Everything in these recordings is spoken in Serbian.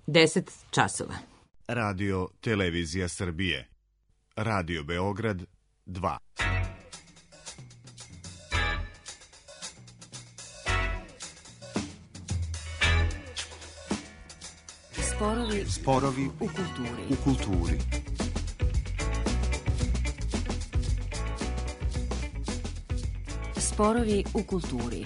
10 časova. Radio Televizija Srbije. Radio Beograd 2. Sporovi u kulturi. Sporovi u kulturi.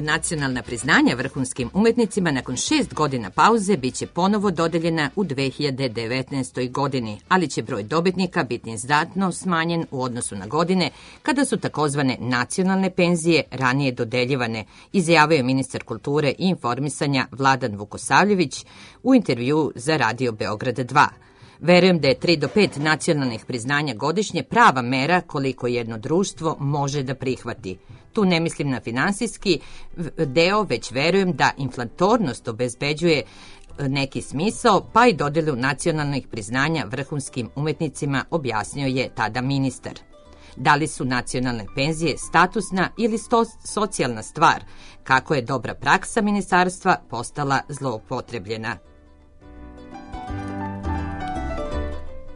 Nacionalna priznanja vrhunskim umetnicima nakon 6 godina pauze biće ponovo dodeljena u 2019. godini, ali će broj dobitnika biti znatno smanjen u odnosu na godine kada su takozvane nacionalne penzije ranije dodeljivane, izjavio je ministar kulture i informisanja Vladan Vukosavljević u intervjuu za Radio Beograd 2. Verujem da je 3 do 5 nacionalnih priznanja godišnje prava mera koliko jedno društvo može da prihvati. Tu ne mislim na finansijski deo, već verujem da inflatornost obezbeđuje neki smisao, pa i dodelu nacionalnih priznanja vrhunskim umetnicima, objasnio je tada ministar. Da li su nacionalne penzije statusna ili socijalna stvar, kako je dobra praksa ministarstva postala zloupotrebljena.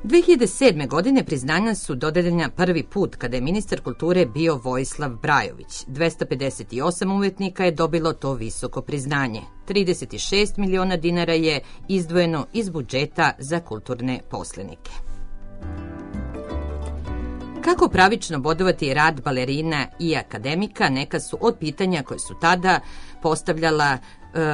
2007. godine priznanja su dodeljena prvi put kada je ministar kulture bio Vojislav Brajović. 258 umetnika je dobilo to visoko priznanje. 36 miliona dinara je izdvojeno iz budžeta za kulturne poslenike. Kako pravično bodovati rad balerina i akademika, neka su od pitanja koje su tada postavljala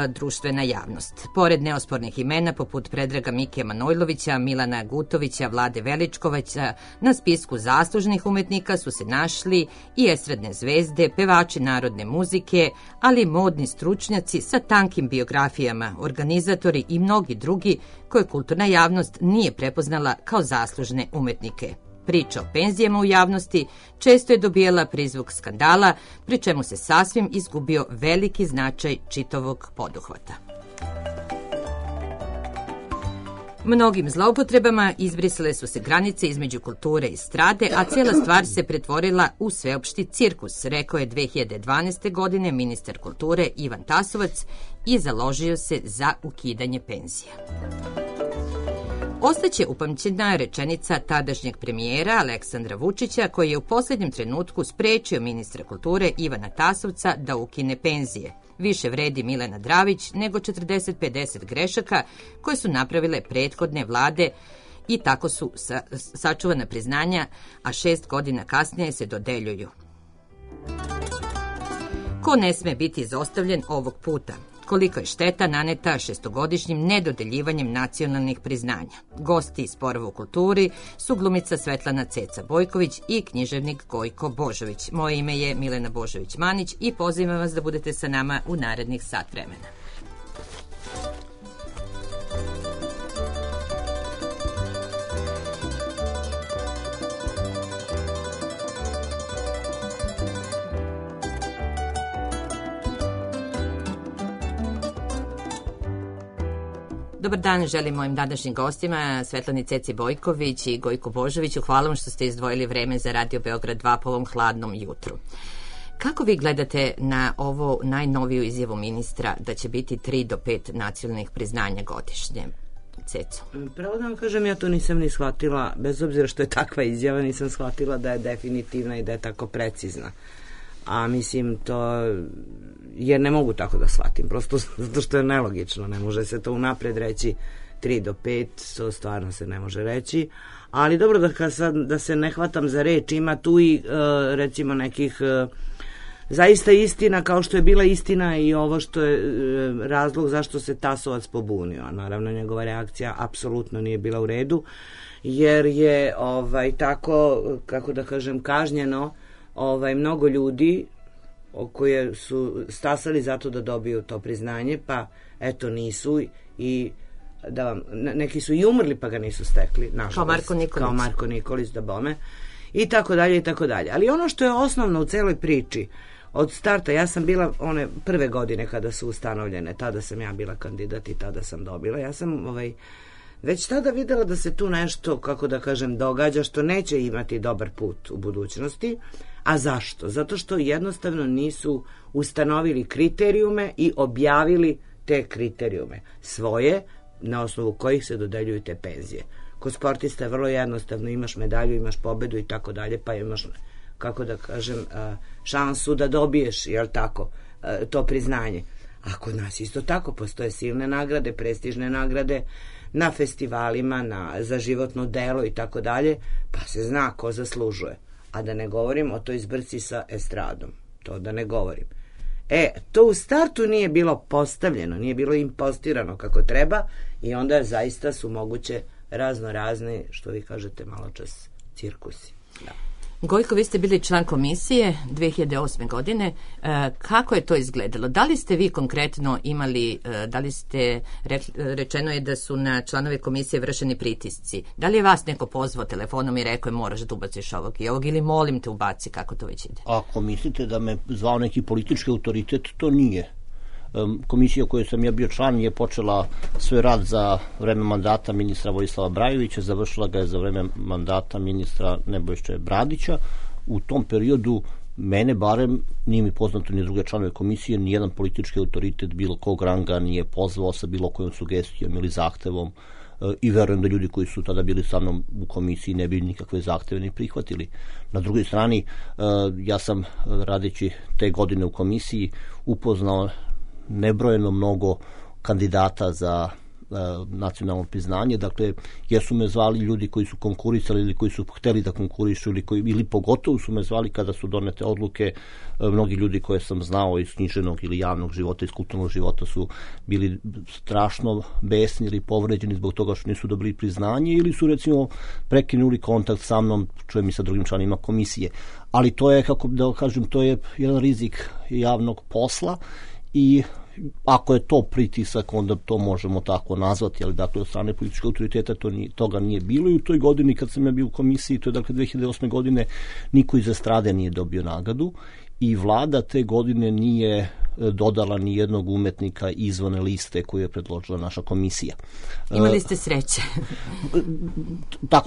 društvena javnost. Pored neospornih imena poput Predraga Mike Manojlovića, Milana Gutovića, Vlade Veličkovića, na spisku zaslužnih umetnika su se našli i estradne zvezde, pevači narodne muzike, ali i modni stručnjaci sa tankim biografijama, organizatori i mnogi drugi koje kulturna javnost nije prepoznala kao zaslužne umetnike. Priča o penzijama u javnosti često je dobijala prizvuk skandala, pri čemu se sasvim izgubio veliki značaj čitavog poduhvata. Mnogim zloupotrebama izbrisale su se granice između kulture i strade, a cijela stvar se pretvorila u sveopšti cirkus, rekao je 2012. godine ministar kulture Ivan Tasovac i založio se za ukidanje penzija. Ostaće upamćena rečenica tadašnjeg premijera Aleksandra Vučića, koji je u posljednjem trenutku sprečio ministra kulture Ivana Tasovca da ukine penzije. Više vredi Milena Dravić nego 40-50 grešaka koje su napravile prethodne vlade i tako su sačuvana priznanja, a 6 godina kasnije se dodeljuju. Ko ne sme biti izostavljen ovog puta? Koliko je šteta naneta 6-godišnjim nedodeljivanjem nacionalnih priznanja. Gosti iz Sporova u kulturi su glumica Svetlana Ceca Bojković i književnik Gojko Božović. Moje ime je Milena Božović-Manić i pozivam vas da budete sa nama u narednih sat vremena. Dobar dan, želim mojim današnjim gostima, Svetlani Ceci Bojković i Gojku Božoviću. Hvala vam što ste izdvojili vreme za Radio Beograd 2 po ovom hladnom jutru. Kako vi gledate na ovo najnoviju izjavu ministra da će biti 3 do 5 nacionalnih priznanja godišnje? Ceco. Pravo da vam kažem, ja to nisam ni shvatila, bez obzira što je takva izjava, nisam shvatila da je definitivna i da je tako precizna. A mislim to, jer ne mogu tako da shvatim, prosto zato što je nelogično, ne može se to unapred reći 3 do 5, to stvarno se ne može reći, ali dobro da se ne hvatam za reč, ima tu i recimo nekih zaista istina, kao što je bila istina i ovo što je razlog zašto se Tasovac pobunio, a naravno njegova reakcija apsolutno nije bila u redu, jer je tako, kako da kažem, kažnjeno mnogo ljudi koje su stasali zato da dobiju to priznanje, pa eto nisu i neki su i umrli pa ga nisu stekli, nažalost. Kao Marko Nikolić, da bome, i tako dalje, i tako dalje. Ali ono što je osnovno u celoj priči, od starta, ja sam bila one prve godine kada su ustanovljene, tada sam ja bila kandidat i tada sam dobila. Ja sam već tada videla da se tu nešto, kako da kažem, događa što neće imati dobar put u budućnosti. A zašto? Zato što jednostavno nisu ustanovili kriterijume i objavili te kriterijume svoje, na osnovu kojih se dodeljuju te penzije. Kod sportista je vrlo jednostavno, imaš medalju, imaš pobedu i tako dalje, pa imaš, kako da kažem, šansu da dobiješ, jel tako, to priznanje. A kod nas isto tako, postoje silne nagrade, prestižne nagrade na festivalima, za životno delo i tako dalje, pa se zna ko zaslužuje. A da ne govorim o toj zbrci sa estradom, to da ne govorim. To u startu nije bilo postavljeno, nije bilo impostirano kako treba i onda zaista su moguće razne, što vi kažete malo čas, cirkusi. Da. Gojko, vi ste bili član komisije 2008. godine. Kako je to izgledalo? Da li ste vi konkretno imali, da li ste, rečeno je da su na članove komisije vršeni pritisci. Da li je vas neko pozvao telefonom i rekao je moraš da ubaciš ovog i ovog ili molim te ubaci, kako to već ide? Ako mislite da me zvao neki politički autoritet, to nije. Komisija u kojoj sam ja bio član je počela svoj rad za vreme mandata ministra Vojislava Brajovića, završila ga je za vreme mandata ministra Nebojše Bradića. U tom periodu mene barem, nije mi poznato ni druge članove komisije, nijedan politički autoritet bilo kog ranga nije pozvao sa bilo kojom sugestijom ili zahtevom i verujem da ljudi koji su tada bili sa mnom u komisiji ne bi nikakve zahteve ni prihvatili. Na drugoj strani, ja sam radeći te godine u komisiji upoznao nebrojeno mnogo kandidata za nacionalno priznanje, dakle jesu me zvali ljudi koji su konkurisali ili koji su hteli da konkurišu ili pogotovo su me zvali kada su donete odluke. Mnogi ljudi koje sam znao iz književnog ili javnog života, iz kulturnog života su bili strašno besni ili povređeni zbog toga što nisu dobili priznanje ili su recimo prekinuli kontakt sa mnom, čujem i sa drugim članima komisije. Ali to je, kako da kažem, to je jedan rizik javnog posla i ako je to pritisak, onda to možemo tako nazvati, ali dakle od strane političkog autoriteta toga nije bilo i u toj godini kad sam ja bio u komisiji, to je dakle 2008. godine, niko iz estrade nije dobio nagradu i vlada te godine nije dodala ni jednog umetnika izvan liste koju je predložila naša komisija. Imali ste sreće.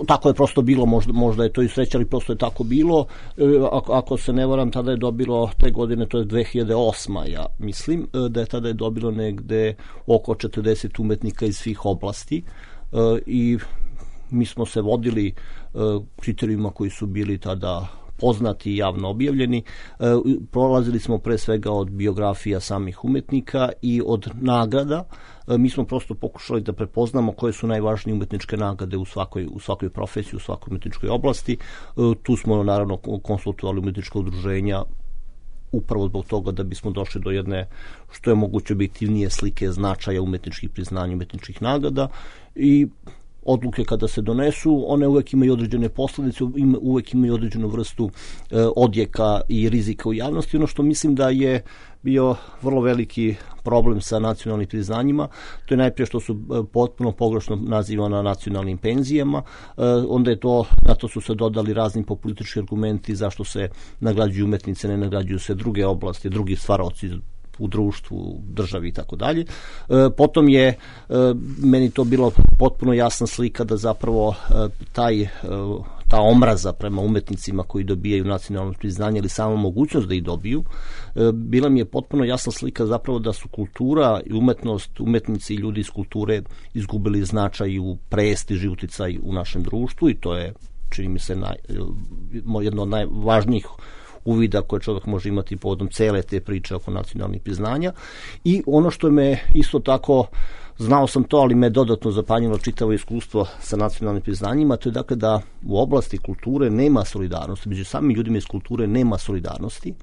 Tako je prosto bilo, možda je to i sreća, ali prosto je tako bilo. Ako se ne varam, tada je dobilo te godine, to je 2008. Ja mislim, da je tada je dobilo negde oko 40 umetnika iz svih oblasti i mi smo se vodili kriterijuma koji su bili tada poznati i javno objavljeni. Prolazili smo pre svega od biografija samih umetnika i od nagrada. Mi smo prosto pokušali da prepoznamo koje su najvažnije umetničke nagrade u svakoj profesiji, u svakoj umetničkoj oblasti. Tu smo naravno konsultovali umetnička udruženja upravo zbog toga da bismo došli do jedne što je moguće objektivnije slike značaja umetničkih priznanja, umetničkih nagrada i odluke kada se donesu, one uvek imaju određene posledice, uvek imaju određenu vrstu odjeka i rizika u javnosti. Ono što mislim da je bio vrlo veliki problem sa nacionalnim priznanjima, to je najprije što su potpuno pogrešno nazivana nacionalnim penzijama, onda je to, na to su se dodali razni populistički argumenti zašto se nagrađuju umetnice, ne nagrađuju se druge oblasti, drugi stvaraoci u društvu, državi i tako dalje. Potom je meni to bilo potpuno jasna slika da zapravo ta omraza prema umetnicima koji dobijaju nacionalno priznanje ili samo mogućnost da ih dobiju, bila mi je potpuno jasna slika zapravo da su kultura i umetnost, umetnici i ljudi iz kulture izgubili značaj u prestiž i uticaj u našem društvu i to je, čini mi se, jedno od najvažnijih uvida koje čovjek može imati povodom cele te priče oko nacionalnih priznanja. I ono što me isto tako, znao sam to, ali me dodatno zapanjilo čitavo iskustvo sa nacionalnim priznanjima, to je dakle da u oblasti kulture nema solidarnosti, među samim ljudima iz kulture nema solidarnosti,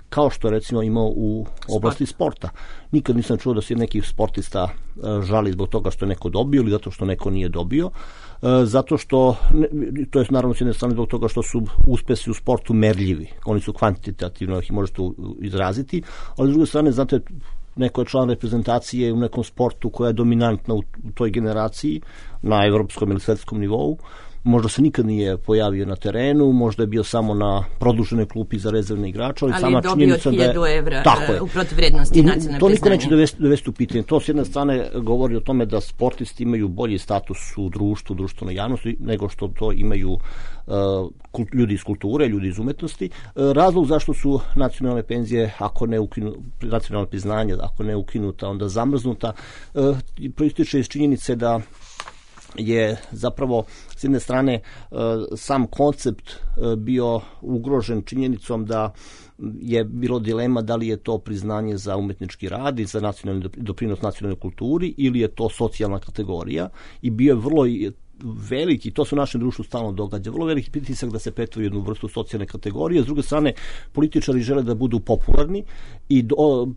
kao što recimo imao u oblasti sporta. Nikad nisam čuo da se neki sportista žali zbog toga što je neko dobio ili zato što neko nije dobio, zato što, to je naravno s jedne strane zbog toga što su uspesi u sportu merljivi, oni su kvantitativno, ih možete izraziti, ali s druge strane, znate, neko je član reprezentacije u nekom sportu koja je dominantna u toj generaciji na evropskom ili svetskom nivou, možda se nikad nije pojavio na terenu, možda je bio samo na produženoj klupi za rezervne igrače, ali sama činjenica da je... 1000 evra u protivvrednosti nacionalne priznanje. To niko neće dovesti u pitanje. To s jedne strane govori o tome da sportisti imaju bolji status u društvu, društvenoj javnosti, nego što to imaju ljudi iz kulture, ljudi iz umetnosti. Razlog zašto su nacionalne penzije, ako ne nacionalne priznanja, ako ne ukinuta, onda zamrznuta, proističe iz činjenice da je zapravo s jedne strane sam koncept bio ugrožen činjenicom da je bilo dilema da li je to priznanje za umetnički rad i za nacionalni doprinos nacionalnoj kulturi ili je to socijalna kategorija i bio je vrlo veliki, to se u našem društvu stalno događa, vrlo veliki pritisak da se pretvori jednu vrstu socijalne kategorije. S druge strane, političari žele da budu popularni i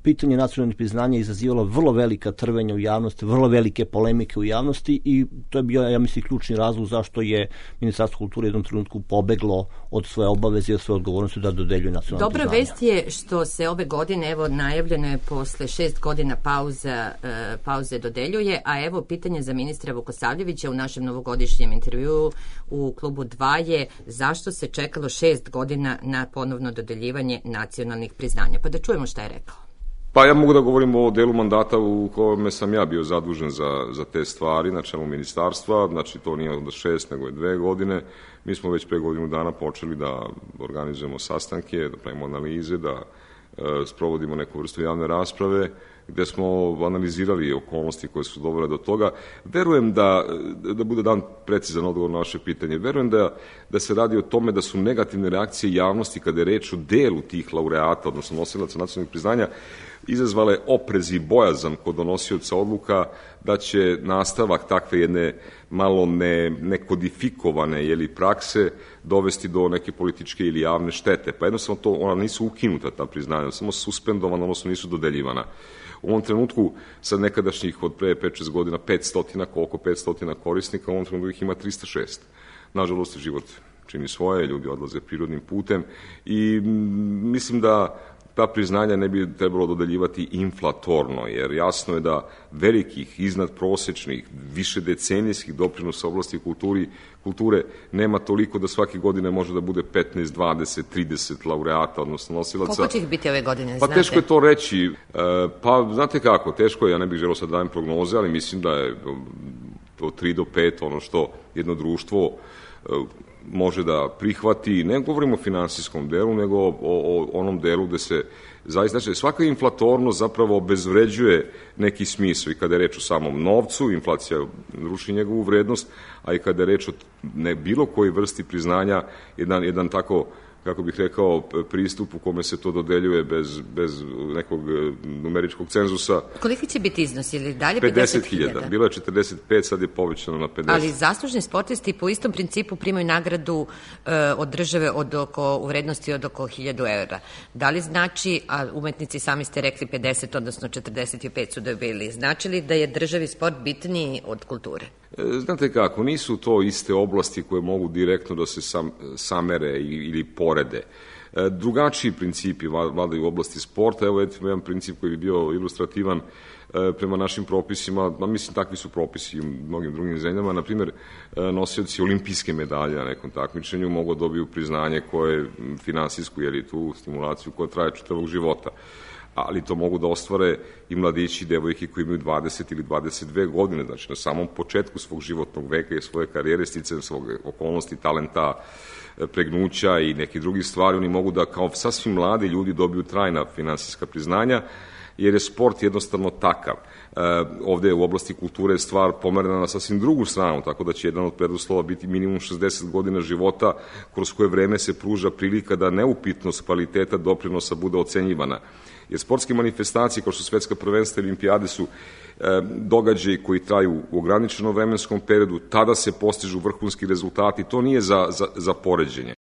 pitanje nacionalnih priznanja izazivalo vrlo velika trvenja u javnosti, vrlo velike polemike u javnosti i to je bio, ja mislim, ključni razlog zašto je Ministarstvo kulture u jednom trenutku pobeglo od svoje obaveze i od svoje odgovornosti da dodeljuje nacionalne priznanja. Dobra vest je što se ove godine, evo, najavljeno je posle 6 godina pauze dodeljuje, a evo pitanje za ministra Vukosavljevića u našem novogodišnjem intervjuu u klubu 2 je zašto se čekalo 6 godina na ponovno dodeljivanje nacionalnih priznanja. Pa da čujemo šta je rekao. Pa ja mogu da govorim o delu mandata u kome sam ja bio zadužen za te stvari na čelu ministarstva, znači to nije onda 6 nego je 2 godine. Mi smo već pre godinu dana počeli da organizujemo sastanke, da pravimo analize, da sprovodimo neku vrstu javne rasprave, gde smo analizirali okolnosti koje su dovele do toga. Verujem da bude dan precizan odgovor na vaše pitanje, verujem da se radi o tome da su negativne reakcije javnosti kada je reč o delu tih laureata, odnosno nosilaca nacionalnih priznanja, izazvale oprez i bojazan kod donosioca odluka da će nastavak takve jedne malo nekodifikovane prakse dovesti do neke političke ili javne štete. Pa jednostavno ona nisu ukinuta ta priznanja, samo suspendovana, odnosno nisu dodeljivana. U ovom trenutku, sad nekadašnjih od pre 5-6 godina, 500 korisnika, u ovom trenutku ih ima 306. Nažalost, život čini svoje, ljudi odlaze prirodnim putem i mislim da ta priznanja ne bi trebalo dodeljivati inflatorno, jer jasno je da velikih, iznadprosečnih, višedecenijskih doprinosa oblasti kulture nema toliko da svake godine može da bude 15, 20, 30 laureata, odnosno nosilaca. Koliko će ih biti ove godine, znate? Pa teško je to reći. Pa znate kako, teško je, ja ne bih želeo sad dajem prognoze, ali mislim da je od 3 do 5 ono što jedno društvo može da prihvati, ne govorimo o finansijskom delu, nego o onom delu gde se zaista, znači svaka inflatornost zapravo obezvređuje neki smisao i kada je reč o samom novcu, inflacija ruši njegovu vrednost, a i kada je reč o bilo kojoj vrsti priznanja, jedan tako, kako bih rekao, pristup u kome se to dodeljuje bez nekog numeričkog cenzusa. Koliki će biti iznos ili dalje 50.000? Bilo je 45, sad je povećano na 50. Ali zaslužni sportisti po istom principu primaju nagradu od države u vrednosti od oko 1000 evra. Da li znači, a umetnici sami ste rekli 50, odnosno 45 su dobili, znači li da je državi sport bitniji od kulture? Znate kako, nisu to iste oblasti koje mogu direktno da se samere ili porede. Drugačiji principi vladaju u oblasti sporta. Evo jedan princip koji bi bio ilustrativan prema našim propisima, mislim takvi su propisi u mnogim drugim zemljama. Naprimjer, nosioci olimpijske medalje na nekom takmičenju mogu dobiju priznanje koje finansijsku, tu stimulaciju koja traje čitavog života. Ali to mogu da ostvare i mladići i devojke koji imaju 20 ili 22 godine, znači na samom početku svog životnog veka i svoje karijere, sticajem svog okolnosti, talenta, pregnuća i neki drugi stvari, oni mogu da kao sasvim mladi ljudi dobiju trajna finansijska priznanja, jer je sport jednostavno takav. Ovde u oblasti kulture je stvar pomerena na sasvim drugu stranu, tako da će jedan od preduslova biti minimum 60 godina života, kroz koje vreme se pruža prilika da neupitnost kvaliteta doprinosa bude ocenjivana. Jer sportske manifestacije, kao što su svetska prvenstva i olimpijade, su događaji koji traju u ograničenom vremenskom periodu, tada se postižu vrhunski rezultati, to nije za poređenje.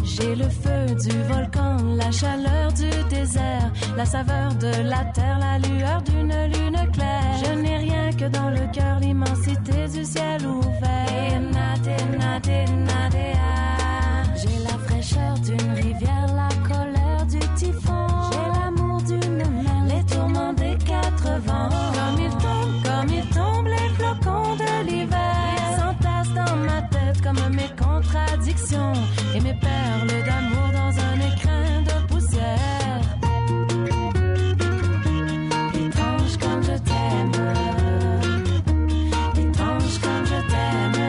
J'ai le feu du volcan, la chaleur du désert. désert, la saveur de la terre, la lueur d'une lune claire. Je n'ai rien que dans le cœur, l'immensité du ciel ouvert. J'ai la fraîcheur d'une rivière, la colère du typhon. J'ai l'amour d'une mer, les tourments des quatre vents. Comme ils tombent les flocons de l'hiver. Ils s'entassent dans ma tête comme mes contradictions et mes perles d'amour dans un écrin de poussière. Étrange comme je t'aime, étrange comme je t'aime.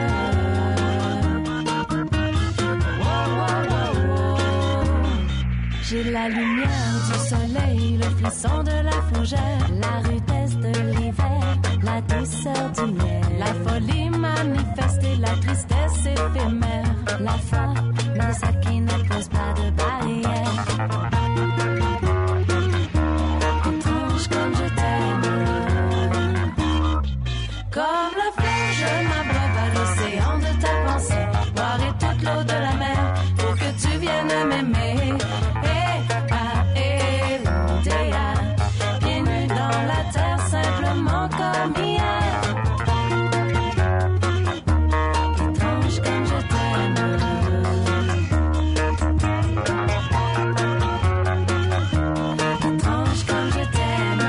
J'ai la lumière du soleil, le frisson de la fougère, la rudesse de l'hiver, la douceur du miel, la folie manifeste et la tristesse éphémère, la foi, mais celle qui ne pose pas de barrière. Étrange comme je t'aime, comme le fleuve, je m'abreuve à l'océan de ta pensée, boirai toute l'eau de la mer pour que tu viennes m'aimer. Simplement comme hier. Étrange comme je t'aime. Étrange comme je t'aime.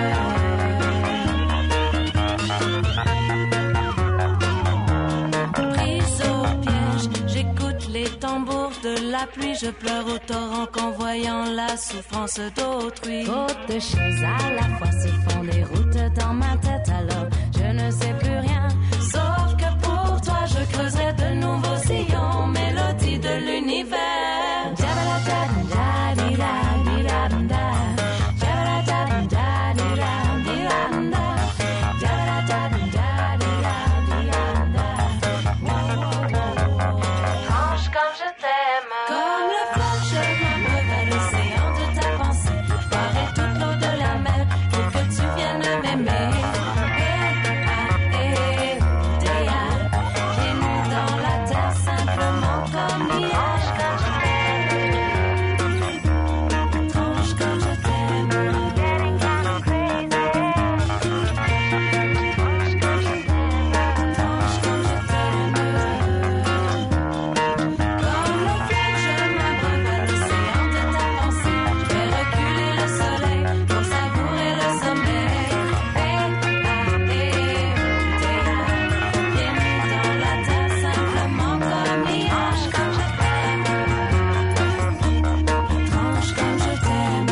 Prise au piège, j'écoute les tambours de la pluie. Je pleure au torrent qu'en voyant la souffrance d'autrui. Trop de choses à la fois se font des routes dans ma tête, alors je ne sais plus rien. Sauf que pour toi je creuserai de nouveaux sillons, mélodie de l'univers. Comme le fleuve, je m'abreuve à l'océan de ta pensée. Boirai toute l'eau de la mer pour que tu viennes m'aimer. J'ai nu dans la terre simplement comme hier. Étrange comme je t'aime. Étrange comme je t'aime. Comme le fleuve, je m'abreuve à l'océan de ta pensée. Je vais reculer le soleil pour savourer le sommeil. Pieds nus dans la terre simplement comme hier. Étrange comme je t'aime.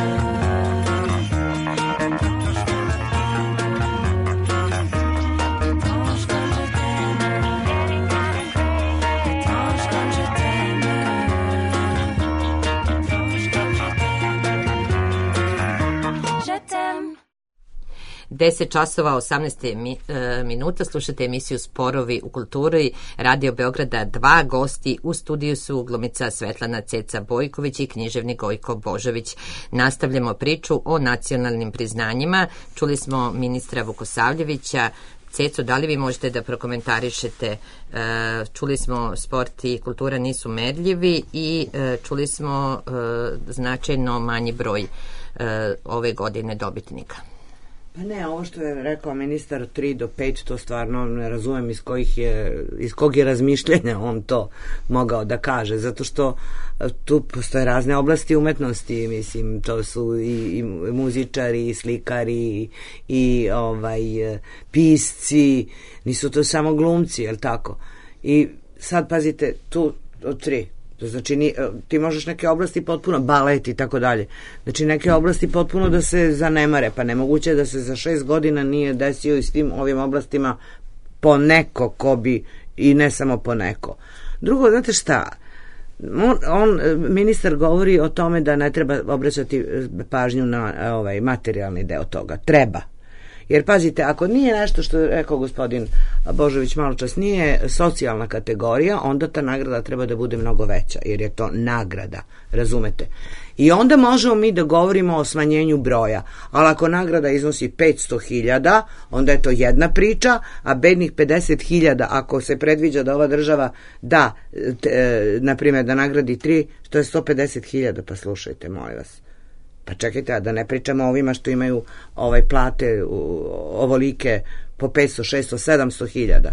Étrange comme je t'aime. Étrange comme je t'aime. Étrange comme je t'aime. 10 časova 18 minuta, slušate emisiju Sporovi u kulturi Radio Beograda 2. Gosti u studiju su glumica Svetlana Ceca Bojković i književnik Gojko Božović. Nastavljamo priču o nacionalnim priznanjima. Čuli smo ministra Vukosavljevića. Ceco, da li vi možete da prokomentarišete? Čuli smo sport i kultura nisu merljivi i čuli smo značajno manji broj ove godine dobitnika. Pa ne, ovo što je rekao ministar 3 do 5, to stvarno ne razumem iz kog je razmišljenja on to mogao da kaže, zato što tu postoje razne oblasti umetnosti, mislim, to su i muzičari, i slikari, i pisci, nisu to samo glumci, jel tako? I sad pazite, tu od 3, znači ti možeš neke oblasti potpuno, balet i tako dalje, znači neke oblasti potpuno da se zanemare, pa nemoguće je da se za 6 godina nije desio i s tim ovim oblastima po neko ko bi, i ne samo po neko. Drugo, znate šta, ministar govori o tome da ne treba obraćati pažnju na materijalni deo toga. Treba. Jer pazite, ako nije nešto što je rekao gospodin Božović malo čas, nije socijalna kategorija, onda ta nagrada treba da bude mnogo veća, jer je to nagrada, razumete? I onda možemo mi da govorimo o smanjenju broja, ali ako nagrada iznosi 500.000, onda je to jedna priča, a bednih 50.000, ako se predviđa da ova država da, na primjer, da nagradi 3, to je 150.000, pa slušajte, molim vas. Pa čekajte, a da ne pričamo o ovima što imaju plate ovolike po 500, 600, 700 hiljada.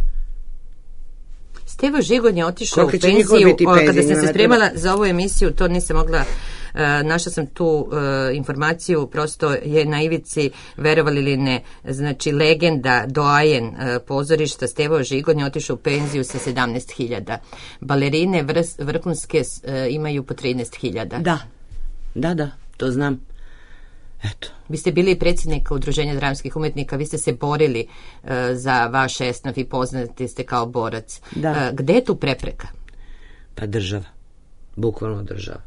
Stevo Žigon je otišao u penziju. Kada sam se spremala za ovu emisiju, to nisam mogla, našla sam tu informaciju, prosto je na ivici, verovali ili ne, znači legenda, doajen pozorišta Stevo Žigon je otišao u penziju sa 17.000. Balerine vrhunske imaju po 13.000. Da, to znam. Eto. Vi ste bili predsjednik Udruženja dramskih umetnika, vi ste se borili za vaš esnaf i poznati ste kao borac. Da. Gde je tu prepreka? Pa država. Bukvalno država.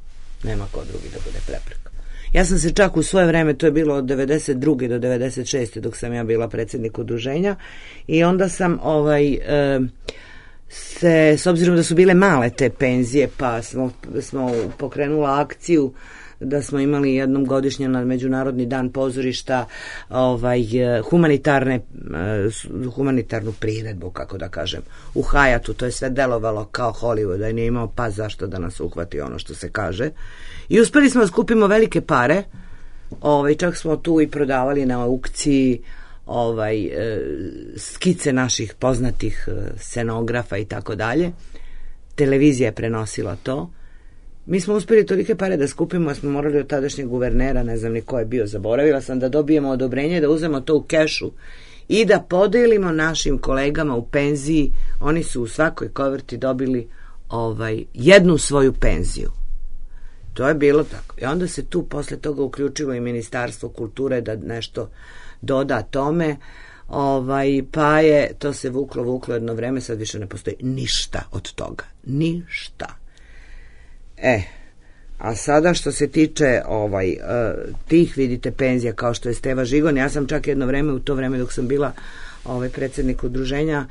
Nema ko drugi da bude prepreka. Ja sam se čak u svoje vreme, to je bilo od 92. do 96. dok sam ja bila predsjednik udruženja, i onda sam s obzirom da su bile male te penzije, pa smo pokrenula akciju da smo imali jednom godišnje na Međunarodni dan pozorišta humanitarnu priredbu, kako da kažem, u Hayatu. To je sve delovalo kao Hollywood, da nije imao pa zašto da nas uhvati, ono što se kaže. I uspeli smo da skupimo velike pare, čak smo tu i prodavali na aukciji skice naših poznatih scenografa i tako dalje. Televizija je prenosila to. Mi smo uspjeli tolike pare da skupimo, a smo morali od tadašnjeg guvernera, ne znam ni ko je bio, zaboravila sam, da dobijemo odobrenje da uzmemo to u kešu i da podelimo našim kolegama u penziji. Oni su u svakoj koverti dobili jednu svoju penziju. To je bilo tako. I onda se tu posle toga uključilo i Ministarstvo kulture da nešto doda tome, pa je to se vuklo jedno vreme, sad više ne postoji ništa od toga. Ništa. A sada što se tiče tih, vidite, penzija kao što je Steva Žigon, ja sam čak jedno vreme, u to vreme dok sam bila predsjednik udruženja,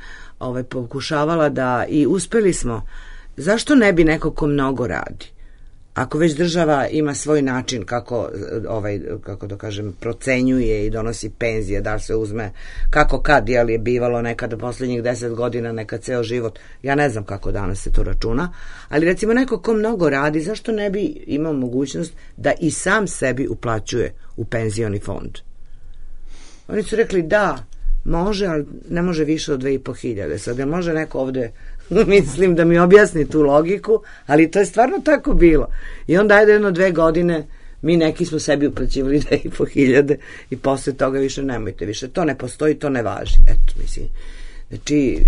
pokušavala da, i uspeli smo, zašto ne bi neko ko mnogo radi? Ako već država ima svoj način kako da kažem, procenjuje i donosi penzije, da se uzme kako kad je bivalo nekada posljednjih 10 godina, nekad ceo život, ja ne znam kako danas se to računa, ali recimo neko ko mnogo radi, zašto ne bi imao mogućnost da i sam sebi uplaćuje u penzioni fond? Oni su rekli da, može, ali ne može više od 2.500. Sad ne može neko ovde, mislim, da mi objasni tu logiku, ali to je stvarno tako bilo. I onda jedno 2 godine mi neki smo sebi uplaćivali 2.500 i posle toga više nemojte, više to ne postoji, to ne važi. Eto, mislim, znači,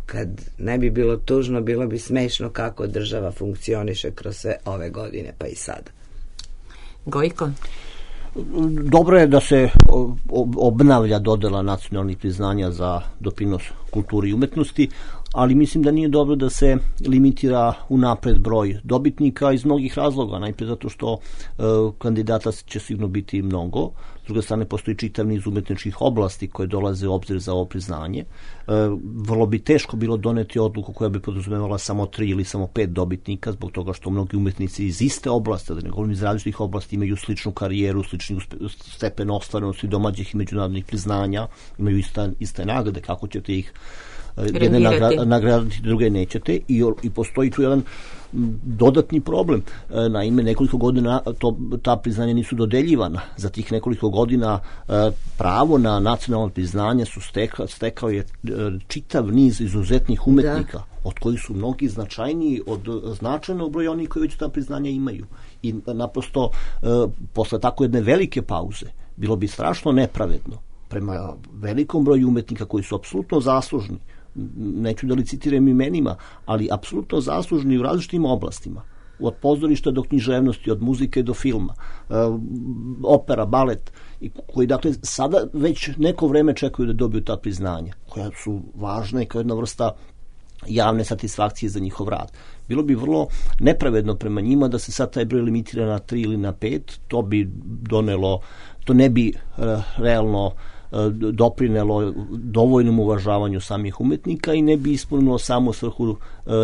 kad ne bi bilo tužno, bilo bi smešno kako država funkcioniše kroz sve ove godine, pa i sada. Gojko? Dobro je da se obnavlja dodela nacionalnih priznanja za doprinos kulturi i umetnosti, ali mislim da nije dobro da se limitira unapred broj dobitnika iz mnogih razloga. Najprej zato što kandidata će sigurno biti mnogo, s druge strane postoji čitav niz umetničkih oblasti koje dolaze u obzir za ovo priznanje. Vrlo bi teško bilo doneti odluku koja bi podrazumevala samo 3 ili samo 5 dobitnika, zbog toga što mnogi umetnici iz iste oblasti, da ne govorim iz različitih oblasti, imaju sličnu karijeru, slični stepen ostvarenosti domaćih i međunarodnih priznanja, imaju iste nagrade, kako ćete ih jedne nagraditi, druge nećete, i postoji tu jedan dodatni problem. Naime, nekoliko godina ta priznanja nisu dodeljivana. Za tih nekoliko godina pravo na nacionalno priznanje stekao je čitav niz izuzetnih umetnika, od kojih su mnogi značajniji od značajnog broja onih koji već ta priznanja imaju. I naprosto, posle tako jedne velike pauze, bilo bi strašno nepravedno prema velikom broju umetnika koji su apsolutno zaslužni, neću da licitiram imenima, ali apsolutno zaslužni u različitim oblastima, od pozorišta do književnosti, od muzike do filma, opera, balet, koji dakle sada već neko vreme čekaju da dobiju ta priznanja, koja su važna i kao jedna vrsta javne satisfakcije za njihov rad. Bilo bi vrlo nepravedno prema njima da se sad taj broj limitira na 3 ili na 5, to bi donelo, to ne bi realno doprinelo dovoljnom uvažavanju samih umetnika i ne bi ispunilo samo svrhu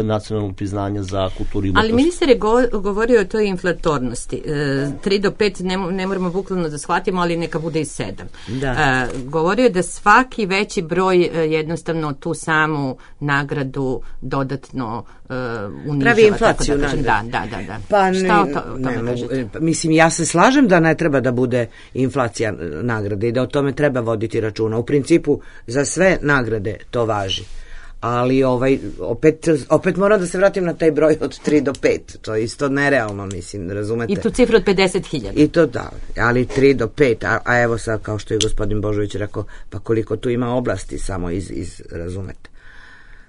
nacionalnog priznanja za kulturu i umetnost. Ali ministar je govorio o toj inflatornosti. 3 do 5 ne moramo bukvalno da shvatimo, ali neka bude i 7. Da. Govorio je da svaki veći broj jednostavno tu samu nagradu dodatno unižava. Pravi inflaciju. Da. Pa šta o tome kažete? Mislim, ja se slažem da ne treba da bude inflacija nagrade i da o tome treba voditi računa. U principu za sve nagrade to važi. Ali opet moram da se vratim na taj broj od 3 do 5. To je isto nerealno, mislim, razumete? I tu cifru od 50.000. I to da, ali 3 do 5. A evo sad, kao što je gospodin Božović rekao, pa koliko tu ima oblasti samo razumete.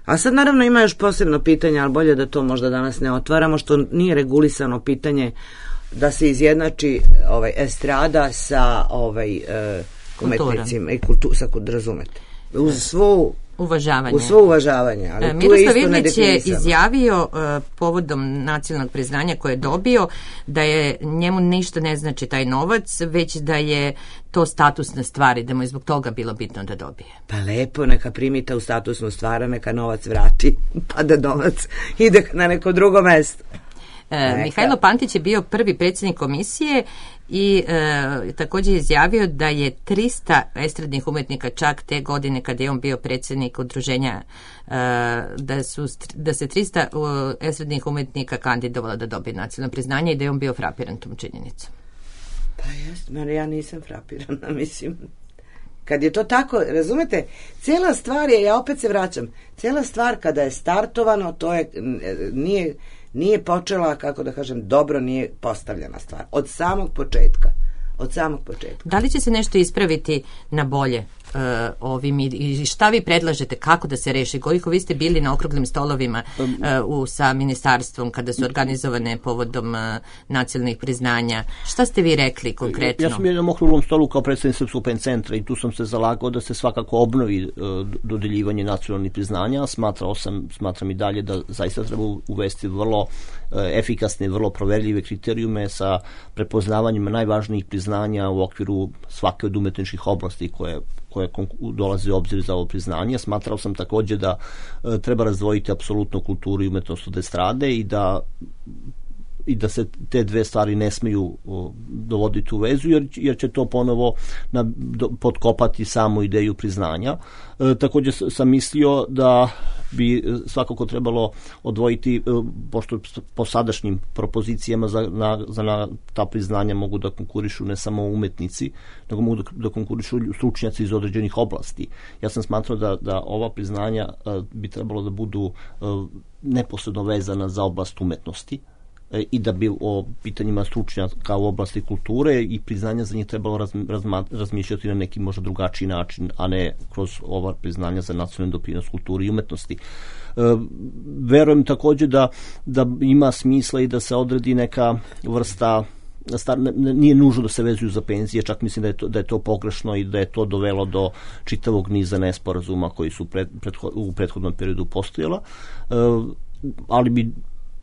A sad naravno ima još posebno pitanje, ali bolje da to možda danas ne otvaramo, što nije regulisano pitanje da se izjednači estrada sa umetnicima i razumete. Uz svo uvažavanje. Ali Miroslav Ivnić je izjavio povodom nacionalnog priznanja koje je dobio da je njemu ništa ne znači taj novac, već da je to statusna stvar i da mu je zbog toga bilo bitno da dobije. Pa lepo, neka primita u statusnu stvar, neka novac vrati, pa da novac ide na neko drugo mesto. Mihajlo Pantić je bio prvi predsjednik komisije i također je izjavio da je 300 estradnih umetnika čak te godine kada je on bio predsjednik udruženja, da se 300 estradnih umetnika kandidovalo da dobije nacionalno priznanje i da je on bio frapiran tom činjenicom. Pa jest, ja nisam frapirana, mislim. Kad je to tako, razumete, cijela stvar je, ja opet se vraćam, cijela stvar kada je startovano, to je, nije počela, kako da kažem, dobro nije postavljena stvar. Od samog početka. Da li će se nešto ispraviti na bolje ovim i šta vi predlažete, kako da se reši? Koliko vi ste bili na okruglim stolovima sa ministarstvom kada su organizovane povodom nacionalnih priznanja? Šta ste vi rekli konkretno? Ja sam bio na okruglom stolu kao predstavnik Srpskog pen centra i tu sam se zalagao da se svakako obnovi dodeljivanje nacionalnih priznanja. Smatram i dalje da zaista treba uvesti vrlo efikasne i vrlo proverljive kriterijume sa prepoznavanjem najvažnijih priznanja u okviru svake od umetničkih oblasti koje dolaze u obzir za ovo priznanje. Smatrao sam također da treba razdvojiti apsolutno kulturu i umetnost od estrade i da se te dve stvari ne smiju dovoditi u vezu, jer će to ponovo potkopati samu ideju priznanja. Također sam mislio da bi svakako trebalo odvojiti, pošto po sadašnjim propozicijama za ta priznanja mogu da konkurišu ne samo umetnici, nego mogu da konkurišu stručnjaci iz određenih oblasti. Ja sam smatrao da ova priznanja bi trebalo da budu neposredno vezana za oblast umetnosti i da bi o pitanjima stručnjaka u oblasti kulture i priznanja za njih trebalo razmišljati na neki možda drugačiji način, a ne kroz ova priznanja za nacionalni doprinos kulturi i umetnosti. Verujem također da ima smisla i da se odredi neka vrsta, nije nužno da se vezuju za penzije, čak mislim da je to pogrešno i da je to dovelo do čitavog niza nesporazuma koji su u prethodnom periodu postojala, ali bi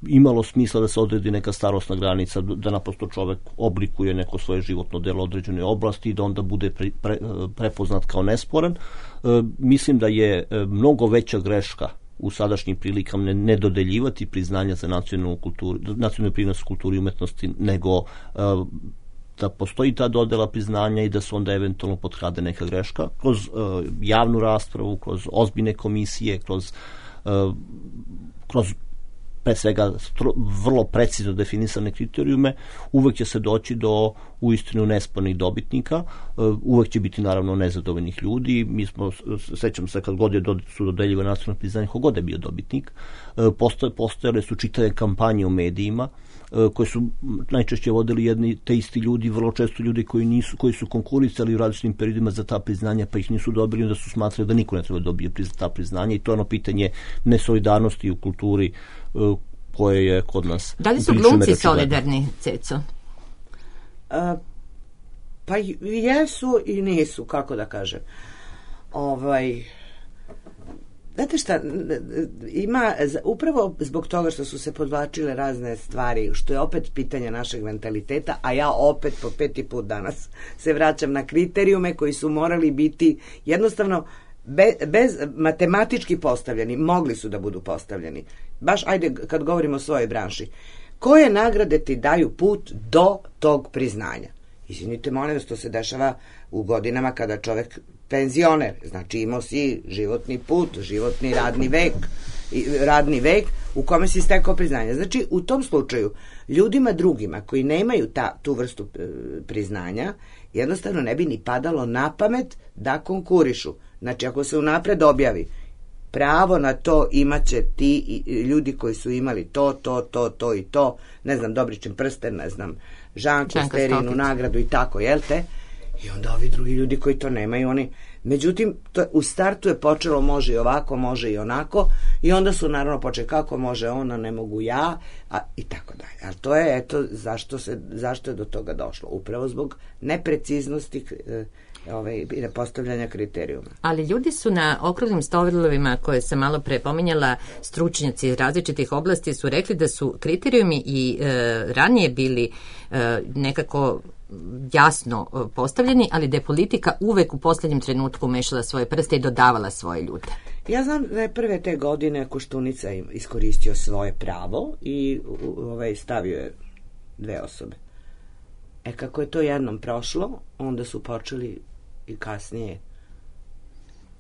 imalo smisla da se odredi neka starosna granica, da naprosto čovek oblikuje neko svoje životno delo određene oblasti i da onda bude prepoznat kao nesporan. Mislim da je mnogo veća greška u sadašnjim prilikama ne dodeljivati priznanja za nacionalnu prinos kulturi i umetnosti, nego da postoji ta dodela priznanja i da se onda eventualno potkrade neka greška kroz javnu raspravu, kroz ozbiljne komisije, kroz pre svega vrlo precizno definisane kriterijume, uvek će se doći do uistinu nespornih dobitnika, uvek će biti naravno nezadovoljnih ljudi. Sećam se kad god su dodeljivane nacionalne priznanje, kogod je bio dobitnik, postojale su čitave kampanje u medijima koje su najčešće vodili jedni te isti ljudi, vrlo često ljudi koji su konkurisali u različitim periodima za ta priznanja, pa ih nisu dobili, onda su smatrali da niko ne treba dobije ta priznanja i to je ono pitanje nesolidarnosti u kulturi koje je kod nas. Da li su glumci solidarni, Ceco? Pa jesu i nisu, kako da kažem. Znate šta, ima, upravo zbog toga što su se podvlačile razne stvari, što je opet pitanje našeg mentaliteta, a ja opet po 5. put danas se vraćam na kriterijume koji su morali biti jednostavno bez matematički postavljeni, mogli su da budu postavljeni. Baš, ajde, kad govorimo o svojoj branši. Koje nagrade ti daju put do tog priznanja? Izvinite, molim vas, to se dešava u godinama kada čovek penzioner, znači imao si životni put, životni radni vek radni vek u kome si stekao priznanje. Znači, u tom slučaju, ljudima drugima koji nemaju tu vrstu priznanja, jednostavno ne bi ni padalo na pamet da konkurišu. Znači, ako se unapred objavi pravo na to imaće ti ljudi koji su imali to i to, ne znam, Dobričin prsten, ne znam, Žanku, Sterinu, nagradu i tako, jel te? I onda ovi drugi ljudi koji to nemaju, oni... Međutim, u startu je počelo može i ovako, može i onako, i onda su naravno počeli kako može ona, ne mogu ja, i tako dalje. Ali to je, eto, zašto je do toga došlo? Upravo zbog nepreciznosti postavljanja kriterijuma. Ali ljudi su na okruglim stolovima koje sam malo pre pominjala, stručnjaci iz različitih oblasti su rekli da su kriterijumi i ranije bili nekako jasno postavljeni, ali da je politika uvek u posljednjem trenutku mešala svoje prste i dodavala svoje ljude. Ja znam da je prve te godine Koštunica iskoristio svoje pravo i stavio je 2 osobe. Kako je to jednom prošlo, onda su počeli i kasnije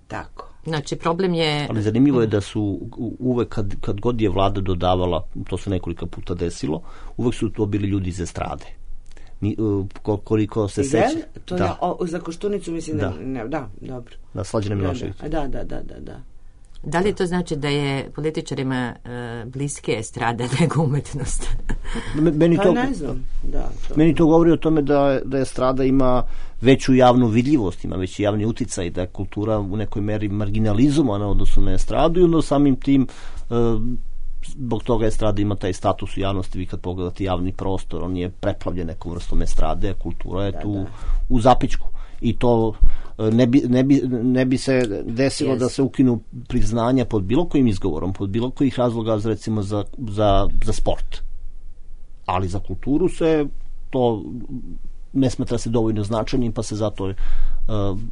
tako. Znači, problem je... Ali zanimljivo je da su uvek, kad god je vlada dodavala, to se nekoliko puta desilo, uvek su to bili ljudi iz estrade. Koliko se seća... Za Koštunicu mislim da... Da, dobro. Da, Slađana Milošević. Da. Da li to znači da je političarima bliske estrada nego umetnost? Ne znam. Meni to govori o tome da estrada ima veću javnu vidljivost, ima veći javni uticaj, da je kultura u nekoj meri marginalizovana odnosno na estradu i onda samim tim zbog toga estrada ima taj status u javnosti. Vi kad pogledate javni prostor, on je preplavljen nekom vrstom estrade, a kultura je tu u zapičku. I to ne bi se desilo da se ukinu priznanja pod bilo kojim izgovorom, pod bilo kojih razloga, recimo za sport. Ali za kulturu se to ne smatra se dovoljno značajnim, pa se zato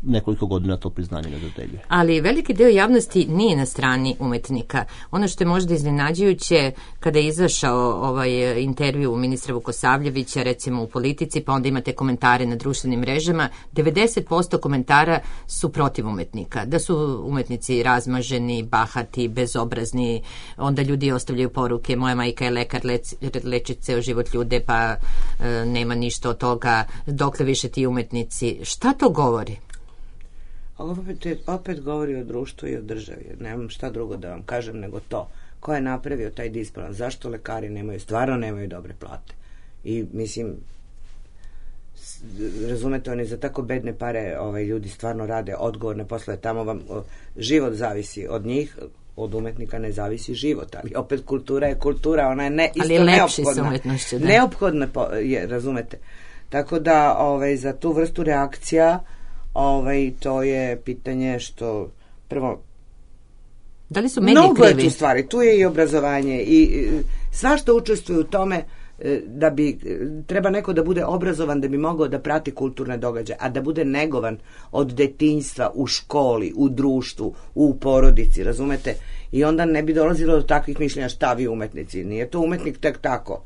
nekoliko godina to priznanje ne dodeljuje. Ali veliki deo javnosti nije na strani umetnika. Ono što je možda iznenađujuće, kada je izašao intervju ministra Vukosavljevića, recimo u Politici, pa onda imate komentare na društvenim mrežama, 90% komentara su protiv umetnika. Da su umetnici razmaženi, bahati, bezobrazni, onda ljudi ostavljaju poruke, moja majka je lekar, leči ceo život ljude, pa nema ništa od toga, dokle više ti umetnici. Šta to govori? Opet govori o društvu i o državi. Nemam šta drugo da vam kažem nego to. Ko je napravio taj disbalans? Zašto lekari stvarno nemaju dobre plate? I mislim, razumete, oni za tako bedne pare ljudi stvarno rade odgovorne poslove. Tamo vam život zavisi od njih, od umetnika ne zavisi život, ali opet kultura je kultura, ona je isto neophodna. Neophodna je, razumete. Tako da za tu vrstu reakcija to je pitanje što prvo da li su mediji krivi? Mnogo je tu stvari, tu je i obrazovanje i svašta učestvuje u tome da bi treba neko da bude obrazovan da bi mogao da prati kulturne događaje, a da bude negovan od detinjstva u školi, u društvu, u porodici, razumete? I onda ne bi dolazilo do takvih mišljenja šta vi umetnici. Nije to umetnik tek tako.